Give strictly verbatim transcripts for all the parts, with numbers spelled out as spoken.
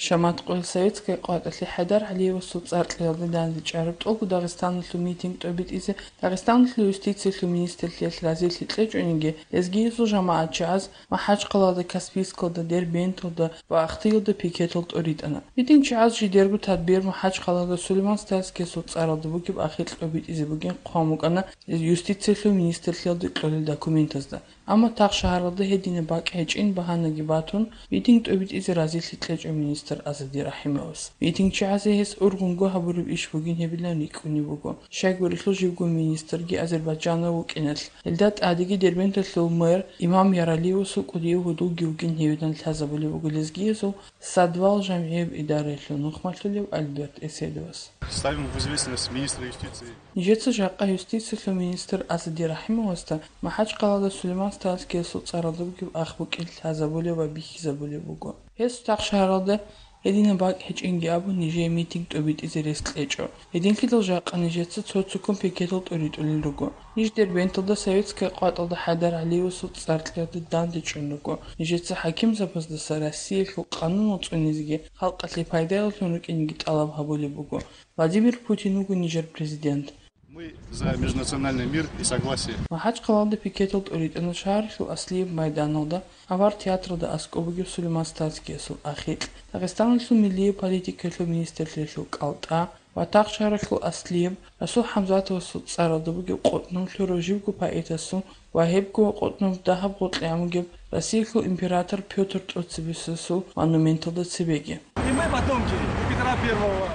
Шамат къоялъ советская къватӀалъе ХӀайдар ГӀалиевасул цӀар кьеялде дандечӀараб тӀолго Дагъистаналъул митинг тӀобитӀизе Дагъистаналъул юстициялъул министрлъиялъ разилъи кьечӀониги, лезгиязул жамагӀатчияз МахӀачхъалада, Каспийскалда, Дербенталда ва Ахтиялда пикетал тӀоритӀана. Митингчияз жидерго тадбир МахӀачхъалада Сулейман-Стальскиясул цӀаралда бугеб ахир тӀобитӀизе бугин хъван букӀана юстициялъул министрлъиялда кьолел документазда. Амма Тахшагьаралда гьединаб бакӀ гьечӀин багьанаги батун, митинг тӀобитӀизе разилъи кьечӀо министр Азади РахӀимовас. Митингчиязе гьес ургъунго гьабураб иш бугин гьебилан рикӀкӀунеб буго. Щайгурелъул живго министрги азербайджанав вукӀиналъ, гьелда тӀадеги Дербенталъул мэр Имам Яралиевасул кӀудияв гьудулги вугин гьевилан лъазабулеб буго лезгиязул Садвал жамгӀияб идараялъул нухмалъулев Альберт Эседовас. Ставим в известность министра юстиции. Нижеца жакъа юстициялъул министр Азади РахӀимовасда МахӀачхъалада Сулейман-Стальскиясул цӀаралда бугеб ах букӀин лъазабулеб ва бихьизабулеб буго. Гьес Тахшагьаралда гьединаб бакӀ гьечӀинги абун, нижее митинг тӀобитӀизе рес кьечӀо. Гьединлъидал жакъа нижеца цо-цоккун пикетал тӀоритӀулел руго. Ниж Дербенталда советская къватӀалда ХӀайдар ГӀалиевасул цӀар кьеялде дандечӀун руго. Нижеца хӀакимзабаздаса Россиялъул къанунал цӀунизеги халкъалъе пайдаялъун рукӀинеги тӀалаб гьабулеб буго. Владимир Путин вуго нижер президент. Мы за межнациональный мир и согласие. МахӀачхъалада пикетал тӀоритӀана шагьаралъул Аслияб майданалда, авар театралда аскӀоб бугеб Сулейман-Стальскиясул ахикь, Дагъистаналъул миллияб политикаялъул министрлъиялъул кӀалтӀа ва Тахшагьаралъул Аслияб Расул ХӀамзатовасул цӀаралда бугеб къотӀнов лъурав живго поэтасул ва гьебго къотӀнов дагьаб гъоркье гӀамугеб Россиялъул император Пётр тӀоцебесасул монументалда цебеги. И мы потомки Петра Первого.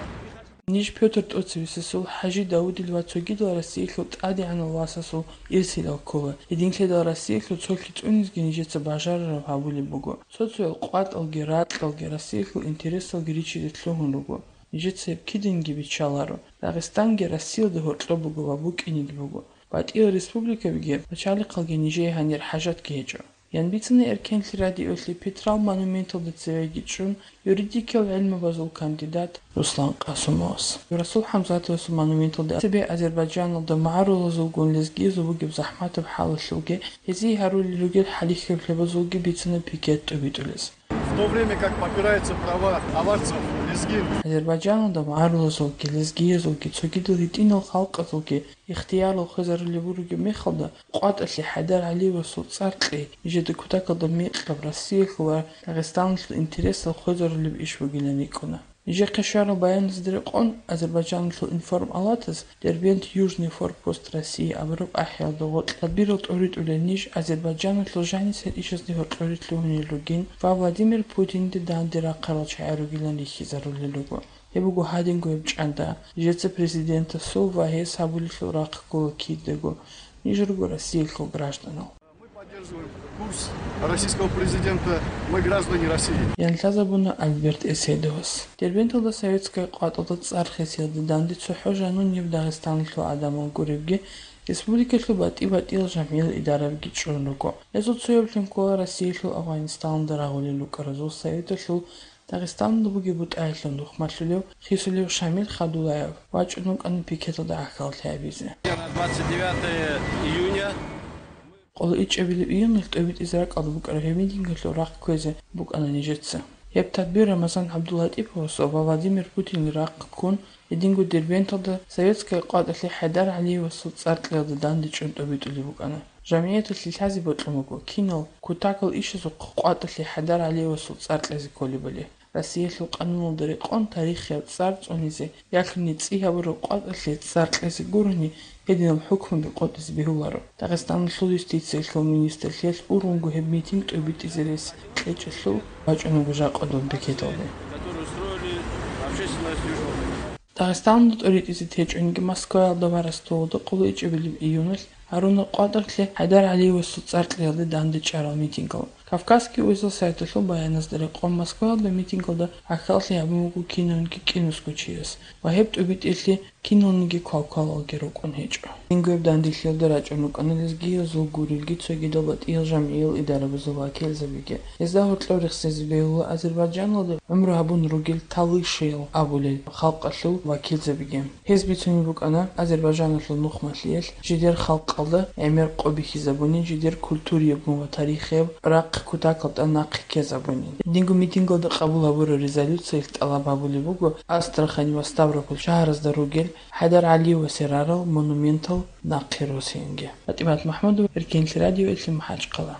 Ниж Пётр тӀоцебесасул, ХӀажи Давудил ва цогидал Россиялъул тӀадегӀанал васасул ирсилал ккола. Гьединлъидал Россиялъул цолъи цӀунизеги нижеца бажарараб гьабулеб буго. Цо-цоял къватӀалги ракьалги Россиялъул интересалги ричизе лъугьун руго. Нижеца гьеб киданги биччаларо. Дагъистанги Россиялда гьоркьоб буго ва букӀинеги буго. БатӀиял республикабиги пачалихъалги нижее гьанир хӀажатги гьечӀо. Ян бицана Эркенлъи радиолъи Петрал монументалда цевеги чӀун юридикиял гӀилмабазул кандидат Руслан Къасумовас. Расул ХӀамзатовасул монументалда цебе Азербайджаналда магӀарулазулгун лезгиязул бугеб захӀматаб хӀалалъулги, гьезие гьарулел ругел хӀалихьеблъабазулги бицана пикет тӀубитӀулез. В то время как попираются права аварцев, лезгин. Азербайджаналда магӀарулазулги, лезгиязулги, цогидал гьитӀинал халкъазулги ихтиярал хвезарулеб буругеб мехалда, къватӀалъе ХӀайдар ГӀалиевасул цӀар кьей, нижеда кутакалда мекъаб Россиялъул ва Дагъистаналъул интересал хвезарулеб иш бугилан рикӀкӀуна. Нижехъе щварал баяназда рекъон, Азербайджаналъул информалатас Дербент — Южный форпост России абураб ахӀиялда гъоркь тадбирал тӀоритӀулел ниж Азербайджаналъул жанисел ишазде гьоркьоре лъугьунел ругин ва Владимир Путинде данде рахъарал чагӀи ругилан рихьизарулел руго. Гьеб буго гьадинго гьеб чӀанда, нижеца президентасул ва гьес гьабулелъул рахъ ккола кидаго, ниж руго Россиялъул гражданал. Мы поддерживаем курс российского президента, мы граждане России. Ян лъазабуна Альберт Эседовас. Дербенталда советская къватӀалда цӀар хисиялда данде цохӀо жанунеб Дагъистаналъул гӀадамал гуребги, республикалъул батӀи-батӀиял жамгӀиял идарабиги чӀун руго. Гьезул цояблъун ккола Россиялъул Афганистаналда рагъулел рукӀаразул советалъул Дагъистаналда бугеб бутӀаялъул нухмалъулев, хисулев Шамил Хадулаев вачӀун вукӀана пикеталда гӀахьаллъи гьабизе. На двадцать девятое июня. Къоло ичӀабилеб июналъ тӀобитӀизе ракӀалда букӀараб гьеб митингалъул рахъ кквезе букӀана нижеца. Гьеб тадбир Рамазан ГӀабдуллатӀиповасул ва Владимир Путинил рахъ ккун, гьединго Дербенталда советская къватӀалъе ХӀайдар ГӀалиевасул цӀар кьеялда данде чӀун тӀобитӀулеб букӀана. ЖамгӀияталъе лъазе бокьун буго, кинал, кутакал ишазухъ къватӀалъе ХӀайдар ГӀалиевасул цӀар кьезе кколебали. Россиялъул къануналда рекъон тарихияб цӀар цӀунизе, ялъуни цӀи гьабураб къватӀалъе цӀар кьезе гурони, гьединаб хӀукмуби къотӀизе бегьуларо. Дагъистаналъул юстициялъул министрлъиялъ ургъунго гьеб митинг тӀобитӀизе рес кьечӀелъул вачӀун вуго жакъа доб бекеталде. Дагъистаналда тӀоритӀизе течӀониги Москваялда ва Ростовалда къоло ичӀабилеб июналъ гьаруна къватӀалъе ХӀайдар ГӀалиевасул цӀар кьеялде данде чӀарал митингал. Кавказский узел сайталъул баяназда рекъон, Москваялда митингалда гӀахьаллъи гьабун буго кинавниги кӀинусго чияс ва гьеб тӀубитӀелъи киналниги квалквалалги рукӀун гьечӀо. Дингояб данделъиялда рачӀун рукӀана лезгиязул гурелги цогидал батӀиял жамгӀиял идарабазул вакилзабиги. Гьезда гьоркьов рехсезе бегьула Азербайджаналда гӀумру гьабун ругел Талышиял абулел халкъалъул вакилзабиги. Гьез бицунеб букӀана Азербайджаналъул нухмалъиялъ жидер халкъалда гӀемер къо бихьизабунин, жидер культуриябгун ва тарихияб рахъ кутакалда нахъе ккезабунин. Динго митингалда къабул гьабураб резолюциялъ тӀалаб гьабулеб буго Астрахань ва Ставрополь шагьаразда ругел ХӀайдар ГӀалиевасе рарал монументал нахъе росиянги. ПатӀимат МахӀмудова, Эркенлъи радиоялъе, МахӀачхъала.